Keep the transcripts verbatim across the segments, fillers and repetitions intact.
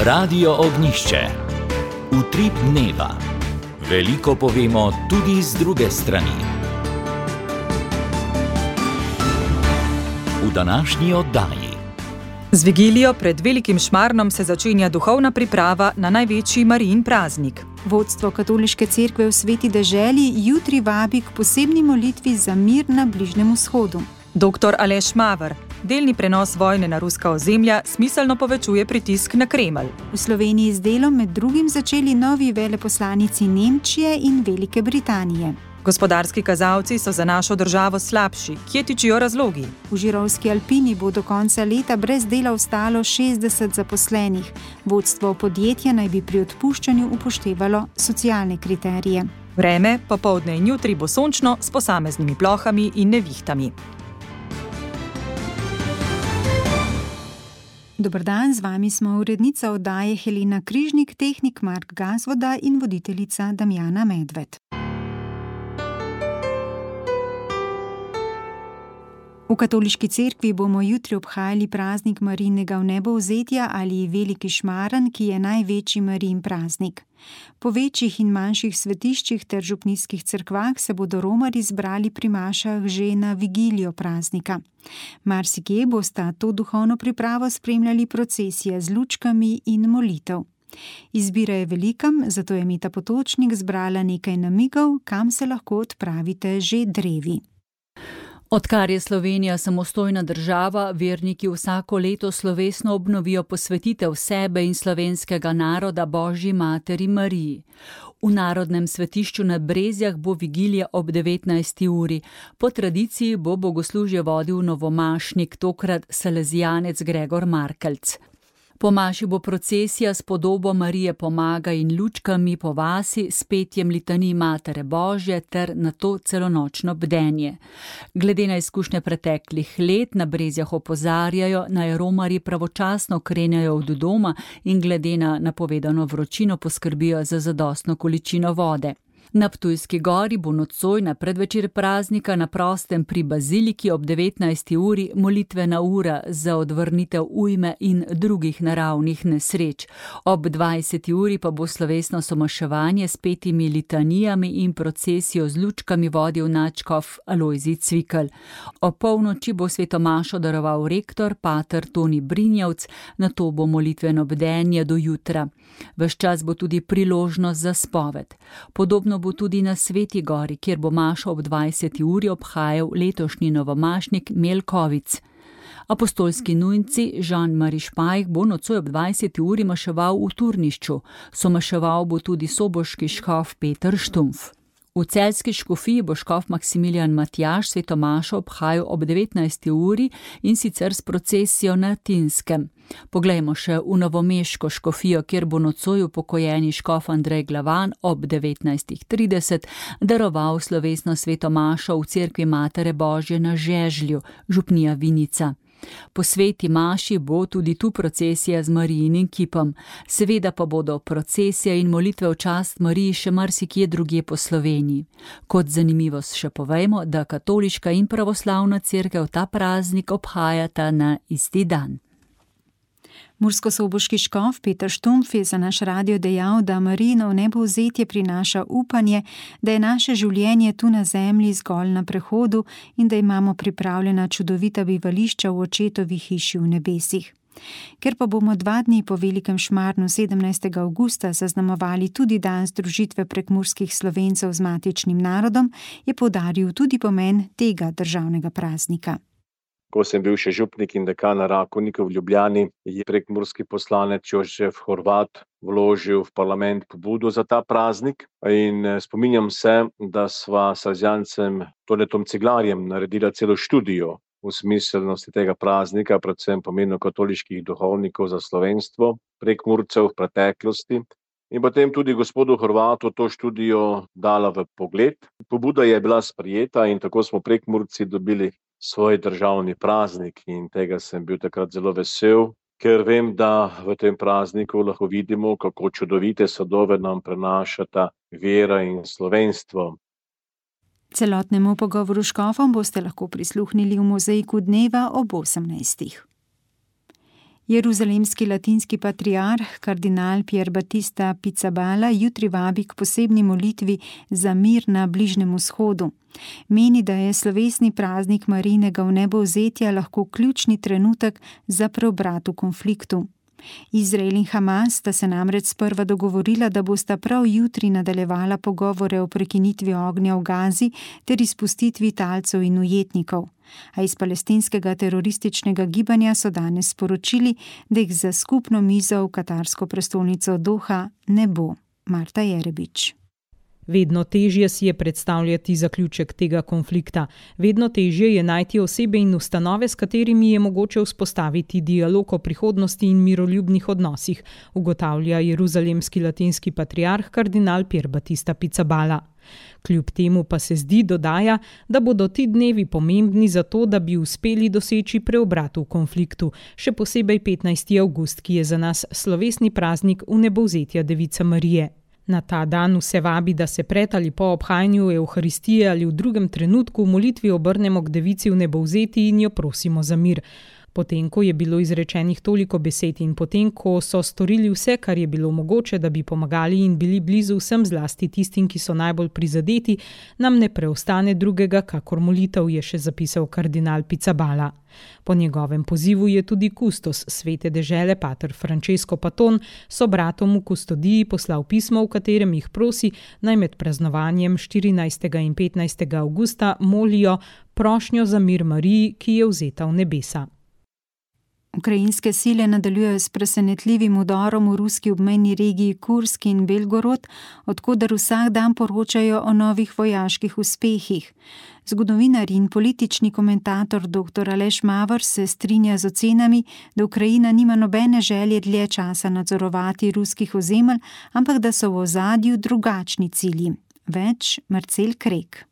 Radio Ognjišče. Utrip dneva. Veliko povemo tudi z druge strani. V današnji oddaji. Z vigilijo pred Velikim Šmarnom se začenja duhovna priprava na največji Marijin praznik. Vodstvo Katoliške cerkve v Sveti deželi jutri vabi k posebni molitvi za mir na Bližnjem vzhodu. Doktor Aleš Maver. Delni prenos vojne na ruska ozemlja smiselno povečuje pritisk na Kremelj. V Sloveniji z delom med drugim začeli novi veleposlanici Nemčije in Velike Britanije. Gospodarski kazalci so za našo državo slabši. Kje tičijo razlogi? V Žirovski Alpini bo do konca leta brez dela ostalo šestdeset zaposlenih. Vodstvo podjetja naj bi pri odpuščanju upoštevalo socialne kriterije. Vreme, popoldne in jutri bo sončno s posameznimi plohami in nevihtami. Dober dan, z vami smo urednica oddaje Helena Križnik, tehnik Mark Gazvoda in voditeljica Damjana Medved. V Katoliški cerkvi bomo jutri obhajali praznik Marijinega vnebovzetja ali Veliki Šmaren, ki je največji Marijin praznik. Po večjih in manjših svetiščih ter župnijskih cerkvah se bodo romarji zbrali pri mašah že na vigilijo praznika. Marsikje bosta to duhovno pripravo spremljali procesije z lučkami in molitev. Izbira je velika, zato je Meta Potočnik zbrala nekaj namigov, kam se lahko odpravite že drevi. Odkar je Slovenija samostojna država, verniki vsako leto slovesno obnovijo posvetitev sebe in slovenskega naroda Božji materi Mariji. V Narodnem svetišču na Brezjah bo vigilija ob devetnajsti uri. Po tradiciji bo bogoslužje vodil novomašnik, tokrat salezijanec Gregor Markelc. Po maši bo procesija s podobo Marije Pomaga in lučkami po vasi s petjem litanij Matere Božje ter nato celonočno bdenje. Glede na izkušnje preteklih let na Brezjah opozarjajo, naj romarji pravočasno krenejo od doma in glede na napovedano vročino poskrbijo za zadostno količino vode. Na Ptujski gori bo nocoj na predvečer praznika na prostem pri baziliki ob devetnajsti uri molitvena ura za odvrnitev ujme in drugih naravnih nesreč. Ob dvajseti uri pa bo slovesno somaševanje s petimi litanijami in procesijo z lučkami vodil nadškof Alojzij Cvikl. Ob polnoči bo svetomašo daroval rektor pater Toni Brinjevc, nato bo molitveno bdenje do jutra. Ves čas bo tudi priložnost za spoved. Podobno bo tudi na Sveti gori, kjer bo mašo ob dvajseti uri obhajal letošnji novomašnik Melkovic. Apostolski nujnci Jean-Marie Špajh bo nocoj ob dvajseti uri maševal v Turnišču. Somaševal bo tudi soboški škof Peter Štumf. V celjski škofiji bo škof Maksimilijan Matjaž svetomašo obhajal ob devetnajsti uri in sicer s procesijo na Tinskem. Poglejmo še v novomeško škofijo, kjer bo nocoj upokojeni škof Andrej Glavan ob devetnajst trideset daroval slovesno svetomašo v cerkvi Matere Božje na Žežlju, župnija Vinica. Po sveti maši bo tudi tu procesija z Marijinim kipom. Seveda pa bodo procesije in molitve v čast Mariji še marsikje drugje po Sloveniji. Kot zanimivost še povejmo, da katoliška in pravoslavna cerkev ta praznik obhajata na isti dan. Murskosoboški škof Peter Štumf je za naš radio dejal, da Marijino vnebovzetje prinaša upanje, da je naše življenje tu na zemlji zgolj na prehodu in da imamo pripravljena čudovita bivališča v očetovi hiši v nebesih. Ker pa bomo dva dni po Velikem Šmarnu sedemnajstega avgusta zaznamovali tudi dan združitve prekmurskih Slovencev z matičnim narodom, je poudaril tudi pomen tega državnega praznika. Ko sem bil še župnik in dekan Rakovnika v Ljubljani, je prekmurski poslanec Jožef Horvat vložil v parlament pobudo za ta praznik. In spominjam se, da sva s Salezjancem Tonetom Ciglarjem naredila celo študijo v smiselnosti tega praznika, predvsem pomenu katoliških duhovnikov za slovenstvo, prekmurcev v preteklosti. In potem tudi gospodu Horvatu to študijo dala v pogled. Pobuda je bila sprejeta in tako smo Prekmurci dobili svoj državni praznik in tega sem bil takrat zelo vesel, ker vem, da v tem prazniku lahko vidimo, kako čudovite sadove nam prenašata vera in slovenstvo. Celotnemu pogovoru škofom boste lahko prisluhnili v mozaiku dneva ob osemnajstih. Jeruzalemski latinski patriarh, kardinal Pier Battista Pizzaballa, jutri vabi k posebni molitvi za mir na Bližnjem vzhodu. Meni, da je slovesni praznik Marijinega vnebovzetja lahko ključni trenutek za preobrat v konfliktu. Izrael in Hamas sta se namreč sprva dogovorila, da bosta prav jutri nadaljevala pogovore o prekinitvi ognja v Gazi ter izpustitvi talcev in ujetnikov. A iz palestinskega terorističnega gibanja so danes sporočili, da jih za skupno mizo v katarsko prestolnico Doha ne bo. Marta Jerebič. Vedno težje si je predstavljati zaključek tega konflikta. Vedno težje je najti osebe in ustanove, s katerimi je mogoče vzpostaviti dialog o prihodnosti in miroljubnih odnosih, ugotavlja jeruzalemski latinski patriarh kardinal Pier Battista Pizzaballa. Kljub temu pa se zdi, dodaja, da bodo ti dnevi pomembni za to, da bi uspeli doseči preobrat v konfliktu, še posebej petnajsti avgust, ki je za nas slovesni praznik vnebovzetja Device Marije. Na ta dan vse vabi, da se pred ali po obhajanju Evharistije ali v drugem trenutku v molitvi obrnemo k Devici vnebovzeti in jo prosimo za mir. Potem, ko je bilo izrečenih toliko besed in potem, ko so storili vse, kar je bilo mogoče, da bi pomagali in bili blizu vsem, zlasti tistim, ki so najbolj prizadeti, nam ne preostane drugega, kakor molitev, je še zapisal kardinal Pizzaballa. Po njegovem pozivu je tudi kustos svete dežele pater Francesco Paton sobratom v kustodiji poslal pismo, v katerem jih prosi, naj med praznovanjem štirinajstega in petnajstega avgusta molijo prošnjo za mir Mariji, ki je vzeta v nebesa. Ukrajinske sile nadaljujejo s presenetljivim udorom v ruski obmejni regiji Kursk in Belgorod, odkudar vsak dan poročajo o novih vojaških uspehih. Zgodovinar in politični komentator doktor Aleš Mavr se strinja z ocenami, da Ukrajina nima nobene želje dlje časa nadzorovati ruskih ozemelj, ampak da so v ozadju drugačni cilji. Več Marcel Krek.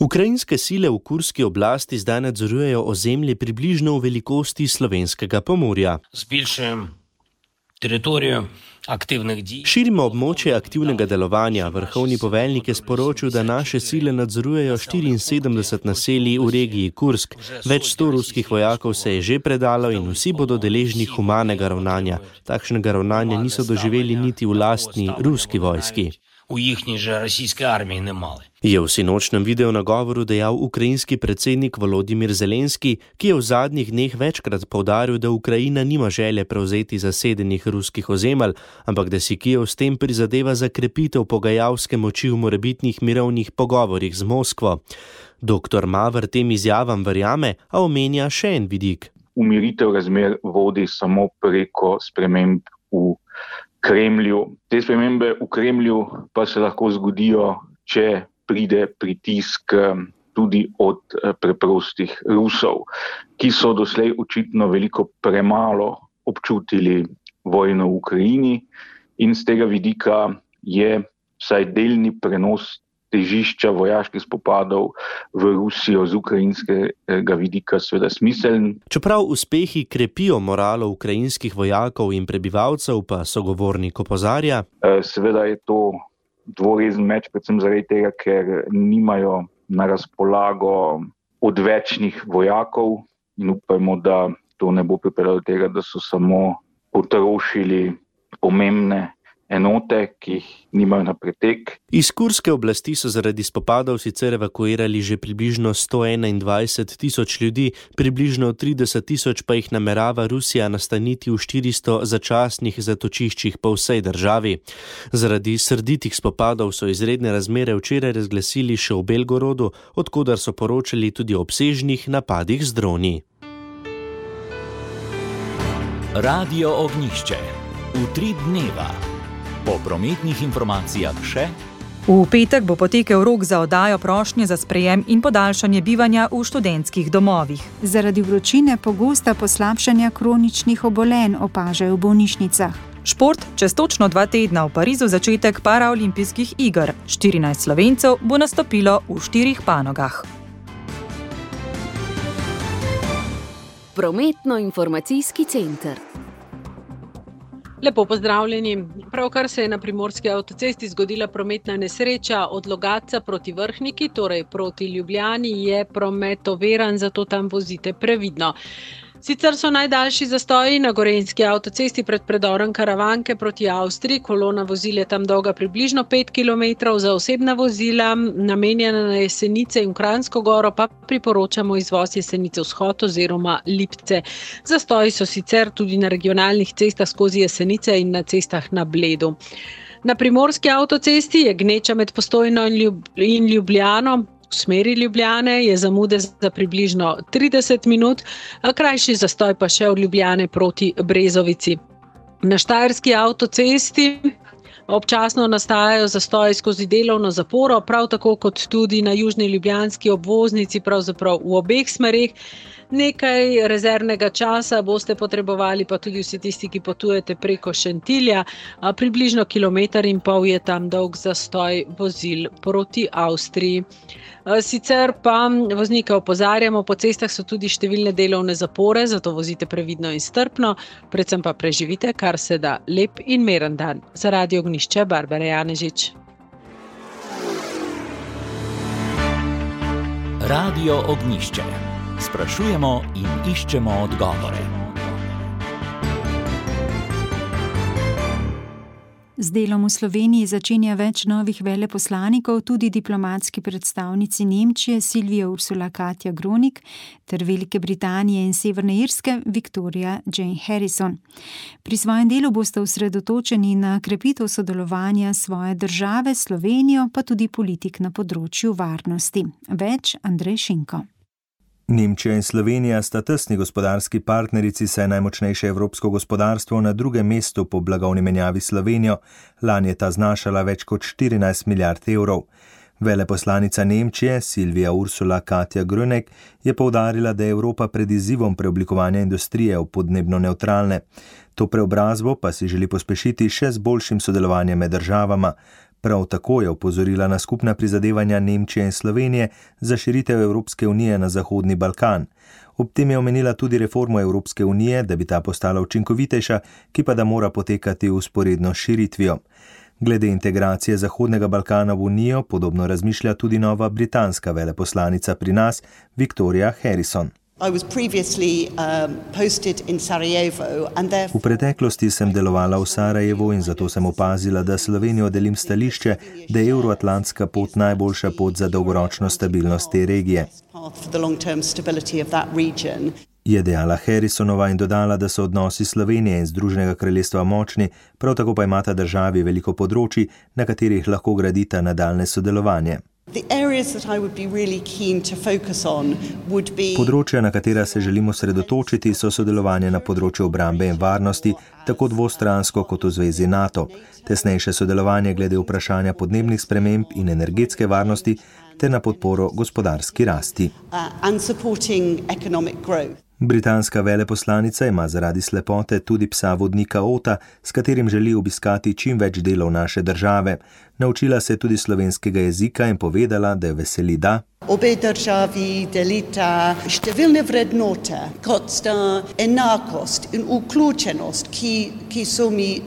Ukrajinske sile v kurski oblasti zdaj nadzorujejo ozemlje približno v velikosti slovenskega Pomurja. Širimo območje aktivnega delovanja. Vrhovni poveljnik je sporočil, da naše sile nadzorujejo štiriinsedemdeset naselij v regiji Kursk. Več sto ruskih vojakov se je že predalo in vsi bodo deležni humanega ravnanja. Takšnega ravnanja niso doživeli niti v lastni ruski vojski. V jihni že rossijske armije ne male. Je v sinočnem video nagovoru dejal ukrajinski predsednik Volodimir Zelenski, ki je v zadnjih dneh večkrat poudaril, da Ukrajina nima želje prevzeti zasedenih ruskih ozemelj, ampak da si Kijev s tem prizadeva za krepitev pogajalske moči v morebitnih mirovnih pogovorih z Moskvo. Doktor Mavr tem izjavam verjame, a omenja še en vidik. Umiritev razmer vodi samo preko sprememb v Kremlju. Te spremembe v Kremlju pa se lahko zgodijo, če pride pritisk tudi od preprostih Rusov, ki so doslej očitno veliko premalo občutili vojno v Ukrajini in z tega vidika je vsaj delni prenos težišča vojaških spopadov v Rusijo z ukrajinskega vidika seveda smiseln. Čeprav uspehi krepijo moralo ukrajinskih vojakov in prebivalcev, pa sogovornik opozarja. Seveda je to dvorezen meč, predvsem zaradi tega, ker nimajo na razpolago odvečnih vojakov in upajmo, da to ne bo pripeljalo do tega, da so samo potrošili pomembne enote, ki jih nimajo na pretek. Iz kurske oblasti so zaradi spopadov sicer evakuirali že približno sto enaindvajset tisoč ljudi, približno trideset tisoč pa jih namerava Rusija nastaniti v štiristo začasnih zatočiščih po vsej državi. Zaradi srditih spopadov so izredne razmere včeraj razglasili še v Belgorodu, odkudar so poročali tudi o obsežnih napadih z droni. Radio Ognjišče. Utrip dneva. Po prometnih informacijah še. V petek bo potekel rok za oddajo prošnje za sprejem in podaljšanje bivanja v študentskih domovih. Zaradi vročine pogosta poslabšanja kroničnih obolenj opažajo v bolnišnicah. Šport čez točno dva tedna v Parizu začetek paraolimpijskih iger. štirinajst Slovencev bo nastopilo v štirih panogah. Prometno-informacijski center. Lepo pozdravljeni. Pravkar se je na primorski avtocesti zgodila prometna nesreča od Logatca proti Vrhniki, torej proti Ljubljani, je promet oviran, zato tam vozite previdno. Sicer so najdaljši zastoji na gorenjski avtocesti pred predorom Karavanke proti Avstriji. Kolona vozil je tam dolga približno pet kilometrov, za osebna vozila, namenjena na Jesenice in Kranjsko goro, pa priporočamo izvoz Jesenice vzhod oziroma Lipce. Zastoji so sicer tudi na regionalnih cestah skozi Jesenice in na cestah na Bledu. Na primorski avtocesti je gneča med Postojno in Ljubljano. V smeri Ljubljane je zamude za približno trideset minut, a krajši zastoj pa še od Ljubljane proti Brezovici. Na štajerski avtocesti občasno nastajajo zastoji skozi delovno zaporo, prav tako kot tudi na južni ljubljanski obvoznici, pravzaprav v obeh smereh. Nekaj rezervnega časa boste potrebovali pa tudi vsi tisti, ki potujete preko Šentilja. Približno kilometer in pol je tam dolg zastoj vozil proti Avstriji. Sicer pa voznike opozarjamo, po cestah so tudi številne delovne zapore, zato vozite previdno in strpno, predvsem pa preživite kar se da lep in miren dan. Za Radio Ognjišče, Barbara Janežič. Radio Ognjišče. Sprašujemo in iščemo odgovore. Z delom v Sloveniji začenja več novih veleposlanikov, tudi diplomatski predstavnici Nemčije Silvija Ursula Katja Grunig ter Velike Britanije in Severne Irske Victoria Jane Harrison. Pri svojem delu boste osredotočeni na krepitev sodelovanja svoje države s Slovenijo, pa tudi politik na področju varnosti. Več Andrej Šinko. Nemčija in Slovenija sta tesni gospodarski partnerici, saj najmočnejše evropsko gospodarstvo na drugem mestu po blagovni menjavi s Slovenijo. Lani je ta znašala več kot štirinajst milijard evrov. Veleposlanica Nemčije Silvija Ursula Katja Grunig je poudarila, da je Evropa pred izzivom preoblikovanja industrije v podnebno nevtralne. To preobrazbo pa si želi pospešiti še z boljšim sodelovanjem med državama. Prav tako je opozorila na skupna prizadevanja Nemčije in Slovenije za širitev Evropske unije na Zahodni Balkan. Ob tem je omenila tudi reformo Evropske unije, da bi ta postala učinkovitejša, ki pa da mora potekati vzporedno s širitvijo. Glede integracije Zahodnega Balkana v unijo podobno razmišlja tudi nova britanska veleposlanica pri nas, Victoria Harrison. V preteklosti sem delovala v Sarajevu in zato sem opazila, da Slovenijo delim stališče, da je evroatlantska pot najboljša pot za dolgoročno stabilnost te regije. Je dejala Harrisonova in dodala, da so odnosi Slovenije in Združenega kraljestva močni, prav tako pa imata državi veliko področij, na katerih lahko gradita nadaljne sodelovanje. Področja, na katera se želimo sredotočiti, so sodelovanje na področju obrambe in varnosti, tako dvostransko kot v zvezi NATO, tesnejše sodelovanje glede vprašanja podnebnih sprememb in energetske varnosti ter na podporo gospodarski rasti. Britanska veleposlanica ima zaradi slepote tudi psa vodnika Ota, s katerim želi obiskati čim več delov naše države. Naučila se je tudi slovenskega jezika in povedala, da je veseli, da obe državi delita številne vrednote, kot sta enakost in vključenost, ki, ki so mi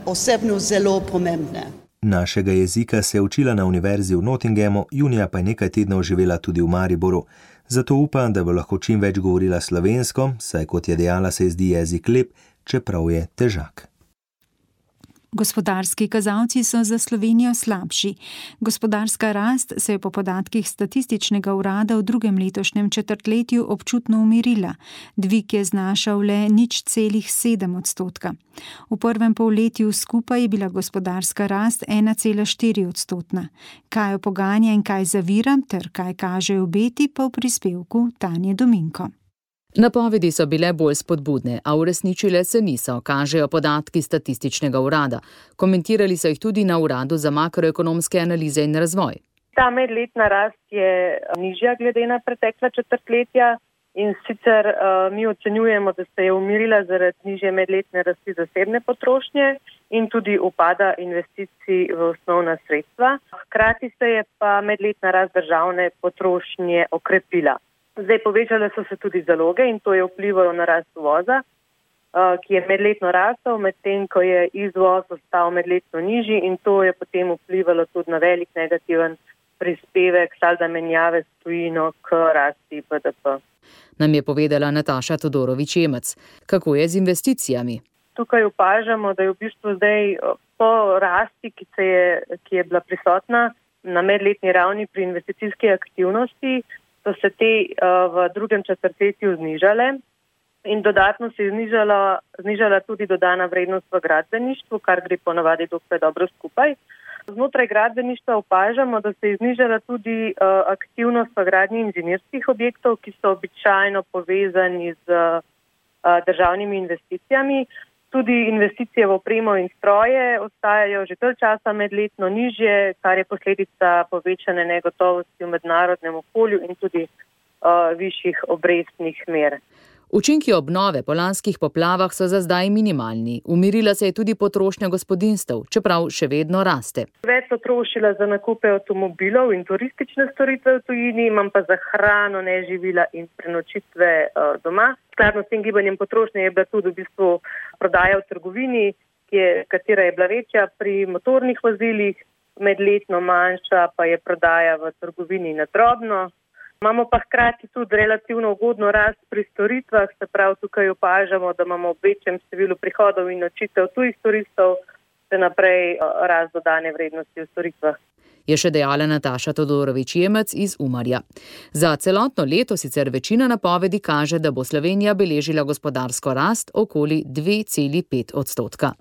osebno zelo pomembne. Našega jezika se je učila na univerzi v Nottinghamu, junija pa je nekaj tednov živela tudi v Mariboru. Zato upam, da bo lahko čim več govorila slovensko, saj kot je dejala, se zdi jezik lep, čeprav je težak. Gospodarski kazalci so za Slovenijo slabši. Gospodarska rast se je po podatkih statističnega urada v drugem letošnjem četrtletju občutno umirila. Dvig je znašal le nič celih sedem odstotka. V prvem polletju skupaj je bila gospodarska rast ena cela štiri odstotna. Kaj jo poganja in kaj zavira, ter kaj kažejo obeti, pa v prispevku Tanje Dominko. Napovedi so bile bolj spodbudne, a uresničile se niso, kažejo podatki statističnega urada. Komentirali so jih tudi na Uradu za makroekonomske analize in razvoj. Ta medletna rast je nižja glede na pretekla četrtletja in sicer uh, mi ocenjujemo, da se je umirila zaradi nižje medletne rasti zasebne potrošnje in tudi upada investicij v osnovna sredstva. Hkrati se je pa medletna rast državne potrošnje okrepila. Zdaj povečale so se tudi zaloge in to je vplivalo na rast uvoza, ki je medletno rastel, medtem ko je izvoz ostal medletno nižji in to je potem vplivalo tudi na velik negativen prispevek salda menjave s tujino k rasti B D P. nam je povedala Nataša Todorović-Jemec. Kako je z investicijami? Tukaj opažamo, da je v bistvu zdaj po rasti, ki, se je, ki je bila prisotna na medletni ravni pri investicijski aktivnosti, so se te uh, v drugem četrtletju znižale in dodatno se je znižala, znižala tudi dodana vrednost v gradbeništvu, kar gre ponavadi dokaj dobro skupaj. Znotraj gradbeništva opažamo, da se je znižala tudi uh, aktivnost v gradnji inženirskih objektov, ki so običajno povezani z uh, državnimi investicijami. Tudi investicije v opremo in stroje ostajajo že dalj časa medletno nižje, kar je posledica povečane negotovosti v mednarodnem okolju in tudi uh, višjih obrestnih mer. Učinki obnove po lanskih poplavah so za zdaj minimalni. Umirila se je tudi potrošnja gospodinjstev, čeprav še vedno raste. Več so trošila za nakupe avtomobilov in turistične storitve v tujini, imam pa za hrano, neživila in prenočitve uh, doma. Skladno s tem gibanjem potrošnje je bila tudi v bistvu prodaja v trgovini, ki je, katera je bila večja pri motornih vozilih, medletno manjša pa je prodaja v trgovini na drobno. Imamo pa hkrati tudi relativno ugodno rast pri storitvah, se pravi tukaj opažamo, da imamo v večjem številu prihodov in nočitev tujih turistov, še naprej rast dodane vrednosti v storitvah. Je še dejala Nataša Todorović-Jemec iz Umarja. Za celotno leto sicer večina napovedi kaže, da bo Slovenija beležila gospodarsko rast okoli dve celi pet odstotka.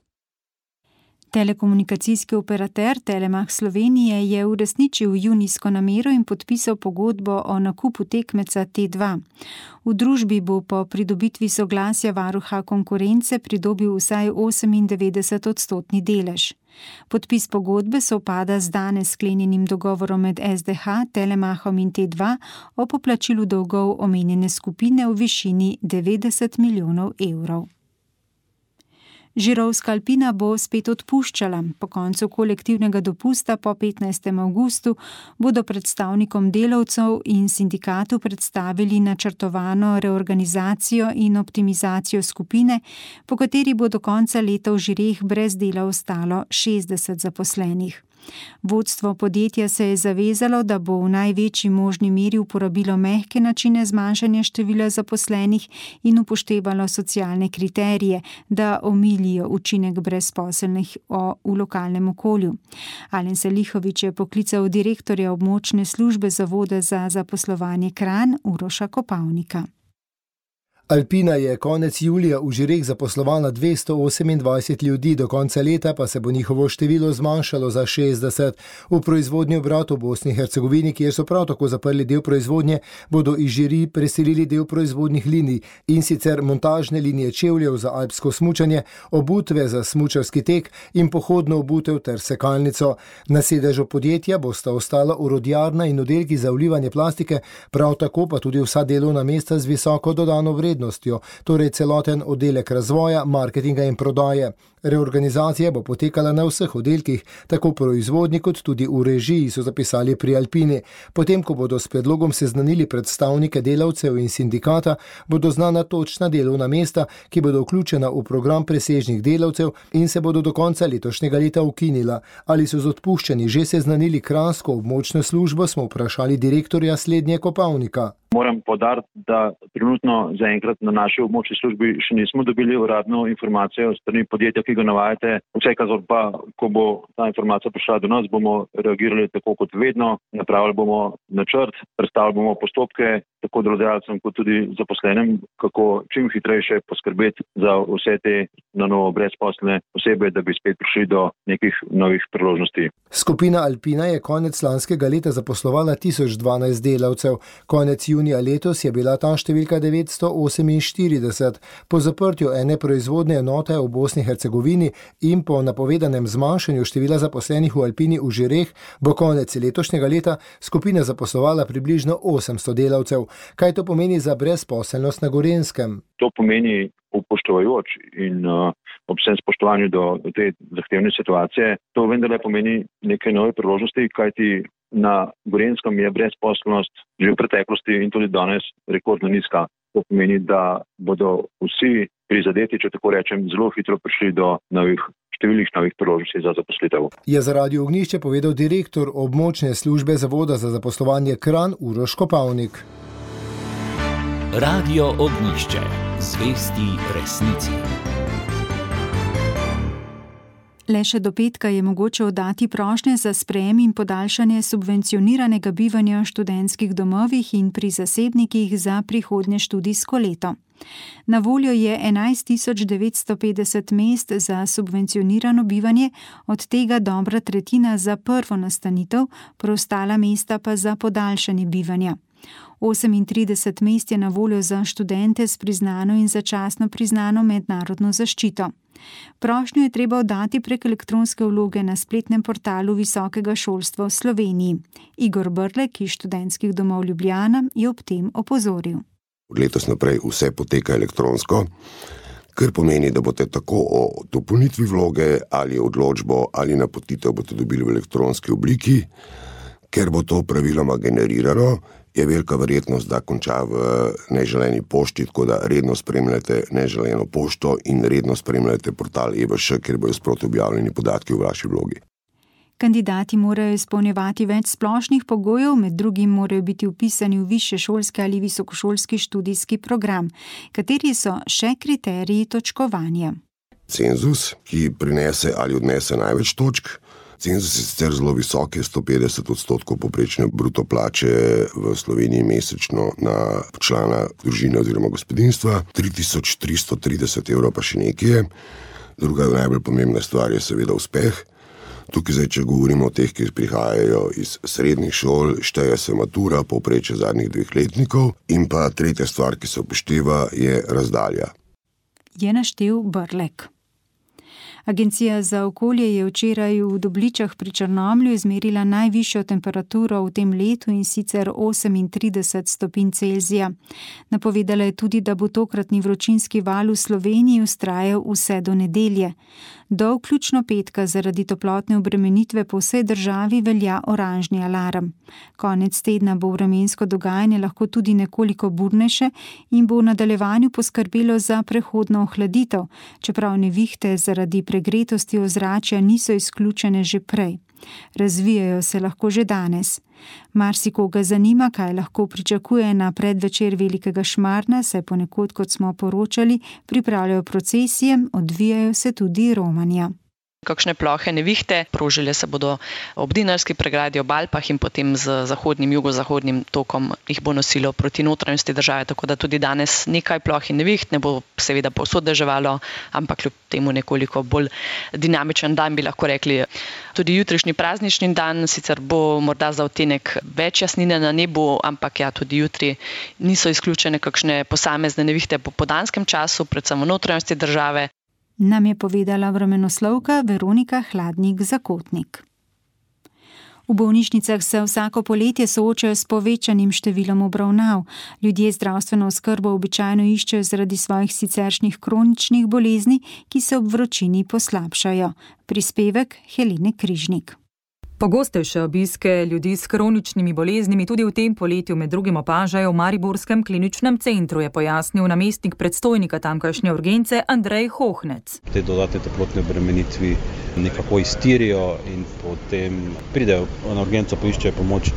Telekomunikacijski operater Telemach Slovenije je uresničil junijsko namero in podpisal pogodbo o nakupu tekmeca T dva. V družbi bo po pridobitvi soglasja varuha konkurence pridobil vsaj osemindevetdeset odstotni delež. Podpis pogodbe sovpada z danes sklenjenim dogovorom med S D H, Telemachom in T dva o poplačilu dolgov omenjene skupine v višini devetdeset milijonov evrov. Žirovska Alpina bo spet odpuščala. Po koncu kolektivnega dopusta po petnajstem avgustu bodo predstavnikom delavcev in sindikatu predstavili načrtovano reorganizacijo in optimizacijo skupine, po kateri bo do konca leta v Žireh brez dela ostalo šestdeset zaposlenih. Vodstvo podjetja se je zavezalo, da bo v največji možni meri uporabilo mehke načine zmanjšanja števila zaposlenih in upoštevalo socialne kriterije, da omilijo učinek brezposelnih v lokalnem okolju. Alen Salihović je poklical direktorja območne službe Zavoda za zaposlovanje Kranj Uroša Kopavnika. Alpina je konec julija v Žireh zaposlovala dvesto osemindvajset ljudi, do konca leta pa se bo njihovo število zmanjšalo za šestdeset. V proizvodnji obrat v Bosni in Hercegovini, kjer so prav tako zaprli del proizvodnje, bodo iz Žiri preselili del proizvodnih linij, in sicer montažne linije čevljev za alpsko smučanje, obutve za smučarski tek in pohodno obutev ter sekalnico. Na sedežu podjetja bosta ostala orodjarna in oddelki za vlivanje plastike, prav tako pa tudi vsa delovna mesta z visoko dodano vrednostjo. Torej celoten oddelek razvoja, marketinga in prodaje. Reorganizacija bo potekala na vseh oddelkih, tako proizvodnji kot tudi v režiji, so zapisali pri Alpini. Potem, ko bodo s predlogom seznanili predstavnike delavcev in sindikata, bodo znana točna delovna mesta, ki bodo vključena v program presežnih delavcev in se bodo do konca letošnjega leta ukinila. Ali so z odpuščanji že seznanili kranjsko območno službo, smo vprašali direktorja slednje Kopavnika. Moram podariti, da trenutno zaenkrat na naši območni službi še nismo dobili uradno informacijo strani podjetja, ki ga navajate. Vsekakor pa, ko bo ta informacija prišla do nas, bomo reagirali tako kot vedno, napravili bomo načrt, predstavili bomo postopke tako delodajalcem kot tudi zaposlenim, kako čim hitrejše poskrbeti za vse te na novo brezposelne osebe, da bi spet prišli do nekih novih priložnosti. Skupina Alpina je konec lanskega leta zaposlovala tisoč dvanajst delavcev. Konec junija letos je bila ta številka devetsto oseminštirideset. Po zaprtju ene proizvodne enote v Bosni in Hercegovini in po napovedanem zmanjšanju števila zaposlenih v Alpini v Žireh bo konec letošnjega leta skupina zaposlovala približno osemsto delavcev. Kaj to pomeni za brezposelnost na Gorenjskem? To pomeni, upoštevajoč in uh, ob vsem spoštovanju do te zahtevne situacije, to vendarle pomeni neke nove priložnosti, kajti na Gorenjskem je brezposelnost že v preteklosti in tudi danes rekordno nizka. To pomeni, da bodo vsi prizadeti, če tako rečem, zelo hitro prišli do novih številnih novih priložnosti za zaposlitev. Je za Radio Ognjišče povedal direktor območne službe Zavoda za zaposlovanje Kranj Uroš Kopavnik. Radio Ognjišče, zvesti resnici. Le še do petka je mogoče oddati prošnje za sprejem in podaljšanje subvencioniranega bivanja v študentskih domovih in pri zasebnikih za prihodnje študijsko leto. Na voljo je enajst tisoč devetsto petdeset mest za subvencionirano bivanje, od tega dobra tretjina za prvo nastanitev, preostala mesta pa za podaljšanje bivanja. osemintrideset mest je na voljo za študente s priznano in začasno priznano mednarodno zaščito. Prošnjo je treba oddati prek elektronske vloge na spletnem portalu Visokega šolstva v Sloveniji. Igor Brlek iz študentskih domov Ljubljana je ob tem opozoril. Od letos naprej vse poteka elektronsko, kar pomeni, da boste tako o dopolnitvi vloge ali odločbo ali napotitev boste dobili v elektronski obliki. Ker bo to praviloma generirano, je velika verjetnost, da konča v neželeni pošti, tako da redno spremljate neželeno pošto in redno spremljate portal E V Š, kjer bojo sproti objavljeni podatki v vaši vlogi. Kandidati morajo izpolnjevati več splošnih pogojev, med drugim morajo biti vpisani v višješolski ali visokošolski študijski program. Kateri so še kriteriji točkovanja? Cenzus, ki prinese ali odnese največ točk. Cenzus je sicer zelo visok, je sto petdeset odstotkov povprečne bruto plače v Sloveniji mesečno na člana družine oziroma gospodinjstva, tri tisoč tristo trideset evrov pa še nekje. Druga najbolj pomembna stvar je seveda uspeh. Tukaj zdaj, če govorimo o teh, ki prihajajo iz srednjih šol, šteje se matura, povprečje zadnjih dveh letnikov, in pa tretja stvar, ki se upošteva, je razdalja. Je naštel Brlek. Agencija za okolje je včeraj v Dobličah pri Črnomlju izmerila najvišjo temperaturo v tem letu, in sicer osemintrideset stopinj Celzija. Napovedala je tudi, da bo tokratni vročinski val v Sloveniji vztrajal vse do nedelje. Do vključno petka zaradi toplotne obremenitve po vsej državi velja oranžni alarm. Konec tedna bo vremensko dogajanje lahko tudi nekoliko burnejše in bo v nadaljevanju poskrbelo za prehodno ohladitev, čeprav nevihte zaradi pregretosti ozračja niso izključene že prej. Razvijajo se lahko že danes. Marsikoga zanima, kaj lahko pričakuje na predvečer Velikega Šmarna, saj ponekod, kot smo poročali, pripravljajo procesije, odvijajo se tudi romanja. Kakšne plohe nevihte, prožile se bodo ob Dinarski pregradi, ob Alpah in potem z zahodnim, jugozahodnim tokom jih bo nosilo proti notranjosti države, tako da tudi danes nekaj ploh in neviht, ne bo seveda povsod deževalo, ampak kljub temu nekoliko bolj dinamičen dan, bi lahko rekli. Tudi jutrišnji praznični dan, sicer bo morda za odtenek več jasnine na nebu, ampak ja, tudi jutri niso izključene kakšne posamezne nevihte po podanskem času, predvsem v notranjosti države. Nam je povedala vremenoslovka Veronika Hladnik-Zakotnik. V bolnišnicah se vsako poletje soočajo s povečanim številom obravnav. Ljudje zdravstveno oskrbo običajno iščejo zaradi svojih siceršnjih kroničnih bolezni, ki se ob vročini poslabšajo. Prispevek Helene Križnik. Pogostejše obiske ljudi s kroničnimi boleznimi tudi v tem poletju med drugim opažajo v Mariborskem kliničnem centru, je pojasnil namestnik predstojnika tamkajšnje urgence Andrej Hohnec. Te dodatne toplotne obremenitvi nekako iztirijo in potem pridejo na urgenco, poiščejo pomoč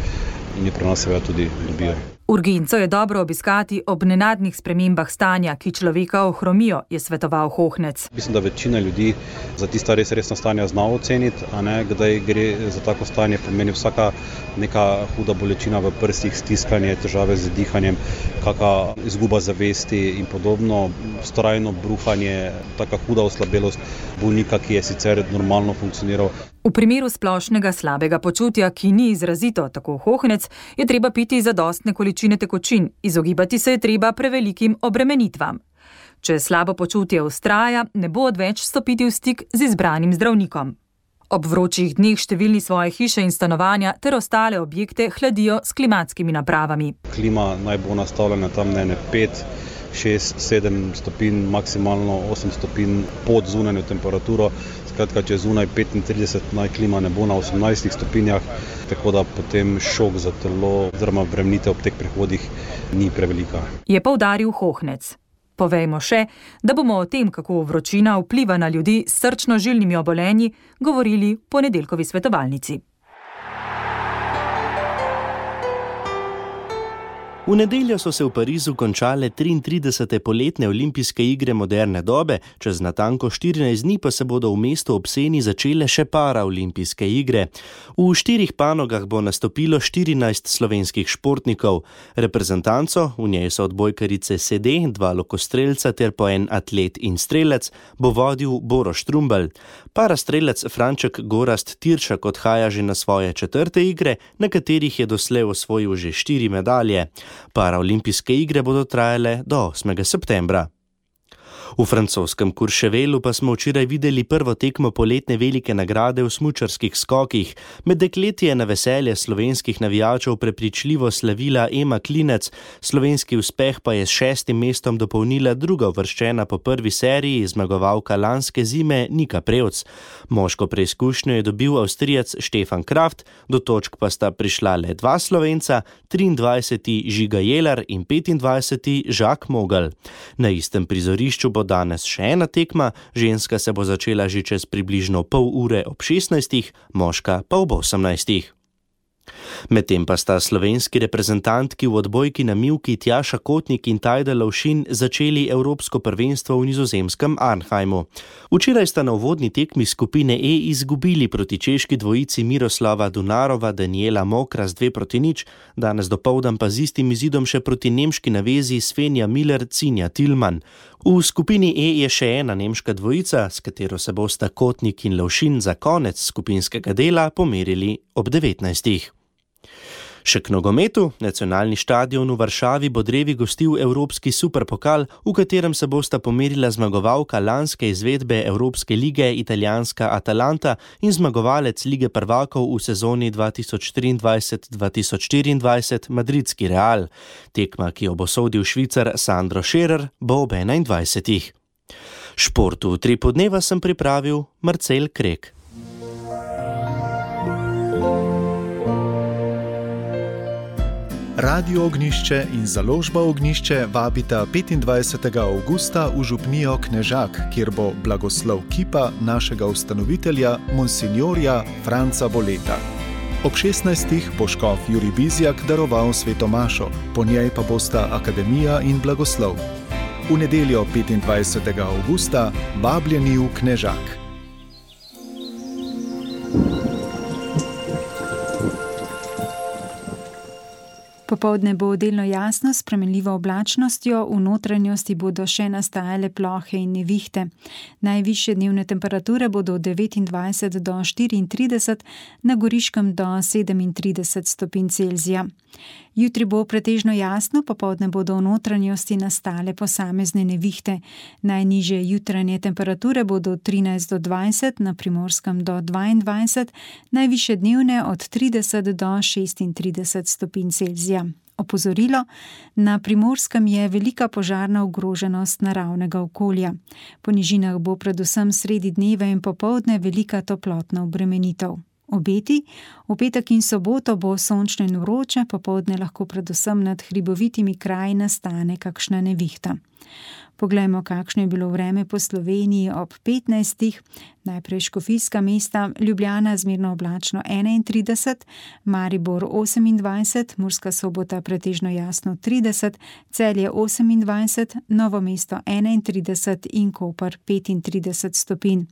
in jo pri nas seveda tudi dobijo. Urgenco je dobro obiskati ob nenadnih spremembah stanja, ki človeka ohromijo, je svetoval Hohnec. Mislim, da večina ljudi za tista res resna stanja zna oceniti, a ne, kdaj gre za tako stanje, pomeni vsaka neka huda bolečina v prstih, stiskanje, težave z dihanjem, kakšna izguba zavesti in podobno, vztrajno bruhanje, taka huda oslabelost bolnika, ki je sicer normalno funkcioniral. V primeru splošnega slabega počutja, ki ni izrazito, tako Hohnec, je treba piti zadostne količine tekočin, izogibati se je treba prevelikim obremenitvam. Če slabo počutje vztraja, ne bo odveč stopiti v stik z izbranim zdravnikom. Ob vročih dneh številni svoje hiše in stanovanja ter ostale objekte hladijo s klimatskimi napravami. Klima naj bo nastavljena tam ne pet, šest, sedem stopinj, maksimalno osem stopinj pod zunanjo temperaturo. Skratka, če zunaj petintrideset, naj klima ne bo na osemnajstih stopinjah, tako da potem šok za telo oziroma obremenitev ob teh prehodih ni prevelika. Je poudaril Hohnec. Povejmo še, da bomo o tem, kako vročina vpliva na ljudi s srčno-žilnimi obolenji, govorili v ponedeljkovi svetovalnici. V nedeljo so se v Parizu končale triintridesete poletne olimpijske igre moderne dobe, čez natanko štirinajst dni pa se bodo v mestu ob Seni začele še paraolimpijske igre. V štirih panogah bo nastopilo štirinajst slovenskih športnikov. Reprezentanco, v njej so odbojkarice sede, dva lokostrelca ter po en atlet in strelec, bo vodil Boro Štrumbelj. Parastrelec Franček Gorazd Tiršak odhaja že na svoje četrte igre, na katerih je doslej osvojil že štiri medalje. Paraolimpijske igre bodo trajale do osmega septembra. V francoskem Courchevelu pa smo včeraj videli prvo tekmo poletne velike nagrade v smučarskih skokih. Med dekleti je na veselje slovenskih navijačev prepričljivo slavila Ema Klinec, slovenski uspeh pa je s šestim mestom dopolnila druga uvrščena po prvi seriji zmagovalka lanske zime Nika Prevc. Moško preizkušnjo je dobil Avstrijac Štefan Kraft, do točk pa sta prišla le dva Slovenca, triindvajseti Žiga Jelar in petindvajseti Žak Mogel. Na istem prizorišču bo danes še ena tekma, ženska se bo začela že čez približno pol ure ob šestnajstih, moška pa ob osemnajstih. Medtem pa sta slovenski reprezentantki v odbojki na mivki Tjaša Kotnik in Tajda Lovšin začeli evropsko prvenstvo v nizozemskem Arnheimu. Včeraj sta na uvodni tekmi skupine E izgubili proti češki dvojici Miroslava Dunarova, Daniela Mokras dve proti nič, danes dopoldan pa z istim izidom še proti nemški navezi Svenja Miller, Cinja Tillmann. V skupini E je še ena nemška dvojica, s katero se bosta Kotnik in Lovšin za konec skupinskega dela pomerili ob devetnajstih. Še k nogometu. Nacionalni štadion v Varšavi bo drevi gostil Evropski superpokal, v katerem se bosta pomerila zmagovalka lanske izvedbe Evropske lige italijanska Atalanta in zmagovalec Lige prvakov v sezoni dva tisoč triindvajset dva tisoč štiriindvajset madridski Real. Tekma, ki jo bo sodil Švicar Sandro Scherer, bo ob enaindvajsetih. Športu v Tripu dneva sem pripravil Marcel Krek. Radio Ognišče in založba Ognišče vabita petindvajsetega avgusta v župnijo Knežak, kjer bo blagoslov kipa našega ustanovitelja, monsignorja Franca Boleta. Ob šestnajstih bo škof Jurij Bizjak daroval svetomašo, po njej pa bosta akademija in blagoslov. V nedeljo petindvajsetega avgusta vabljeni v Knežak. Popoldne bo delno jasno s spremenljivo oblačnostjo, v notranjosti bodo še nastajale plohe in nevihte. Najvišje dnevne temperature bodo od devetindvajset do štiriintrideset, na Goriškem do sedemintrideset stopinj Celzija. Jutri bo pretežno jasno, popoldne bodo v notranjosti nastale posamezne nevihte. Najnižje jutranje temperature bodo od trinajst do dvajset, na Primorskem do dvaindvajset, najvišje dnevne od trideset do šestintrideset stopinj Celzija. Opozorilo, na Primorskem je velika požarna ogroženost naravnega okolja. Po nižinah bo predvsem sredi dneva in popoldne velika toplotna obremenitev. Obeti, v petek in soboto bo sončno in vroče, popoldne lahko predvsem nad hribovitimi kraji nastane kakšna nevihta. Poglejmo, kakšno je bilo vreme po Sloveniji ob petnajstih. Najprej škofijska mesta, Ljubljana zmerno oblačno enaintrideset, Maribor osemindvajset, Murska Sobota pretežno jasno trideset, Celje osemindvajset, Novo mesto enaintrideset in Koper petintrideset stopinj.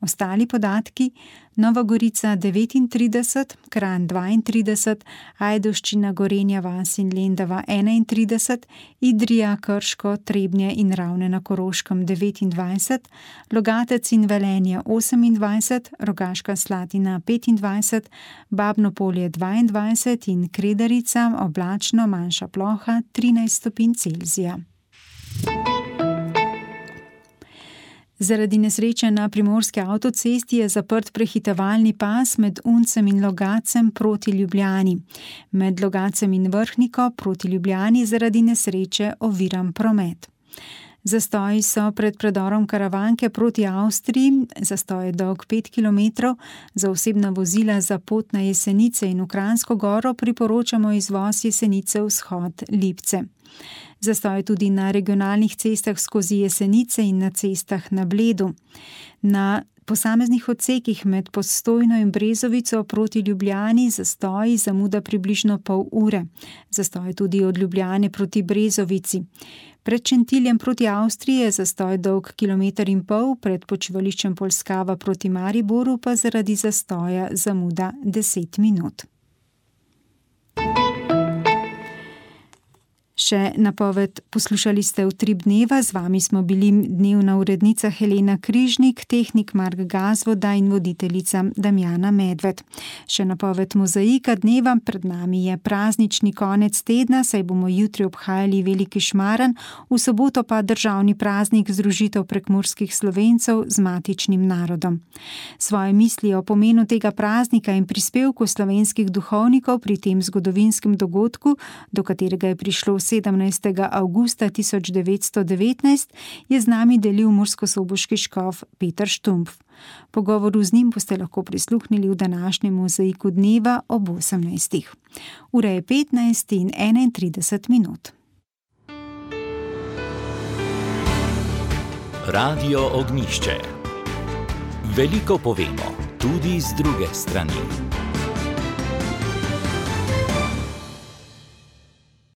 Ostali podatki: Nova Gorica devetintrideset, Kranj dvaintrideset, Ajdovščina, Gorenja vas in Lendava enaintrideset, Idrija, Krško, Trebnje in Ravne na Koroškem devetindvajset, Logatec in Velenje osemindvajset, Rogaška Slatina petindvajset, Babno Polje dvaindvajset in Kredarica oblačno, manjša ploha trinajst stopinj Celzija. Zaradi nesreče na primorski avtocesti je zaprt prehitevalni pas med Uncem in Logacem proti Ljubljani. Med Logacem in Vrhniko proti Ljubljani zaradi nesreče oviran promet. Zastoji so pred predorom Karavanke proti Avstriji, zastoj je dolg pet kilometrov, za osebna vozila za pot na Jesenice in v Kranjsko Goro priporočamo izvoz Jesenice vzhod Lipce. Zastoj tudi na regionalnih cestah skozi Jesenice in na cestah na Bledu. Na posameznih odsekih med Postojno in Brezovico proti Ljubljani zastoji zamuda približno pol ure. Zastoj tudi od Ljubljane proti Brezovici. Pred Šentiljem proti Avstriji je zastoj dolg kilometer in pol, pred počivališčem Polskava proti Mariboru pa zaradi zastoja zamuda deset minut. Še napoved poslušali ste Utrip dneva, z vami smo bili dnevna urednica Helena Križnik, tehnik Mark Gazvoda in voditeljica Damjana Medved. Še napoved mozaika dneva, pred nami je praznični konec tedna, saj bomo jutri obhajali Veliki Šmaran, v soboto pa državni praznik združitev prekmurskih Slovencev z matičnim narodom. Svoje misli o pomenu tega praznika in prispevku slovenskih duhovnikov pri tem zgodovinskem dogodku, do katerega je prišlo sedemnajstega avgusta tisoč devetsto devetnajst, je z nami delil murskosoboški škof Peter Štumpf. Pogovoru z njim boste lahko prisluhnili v današnjem mozaiku dneva ob osemnajstih. Ura je petnajst in enaintrideset minut. Radio Ognjišče. Veliko povemo, tudi z druge strani.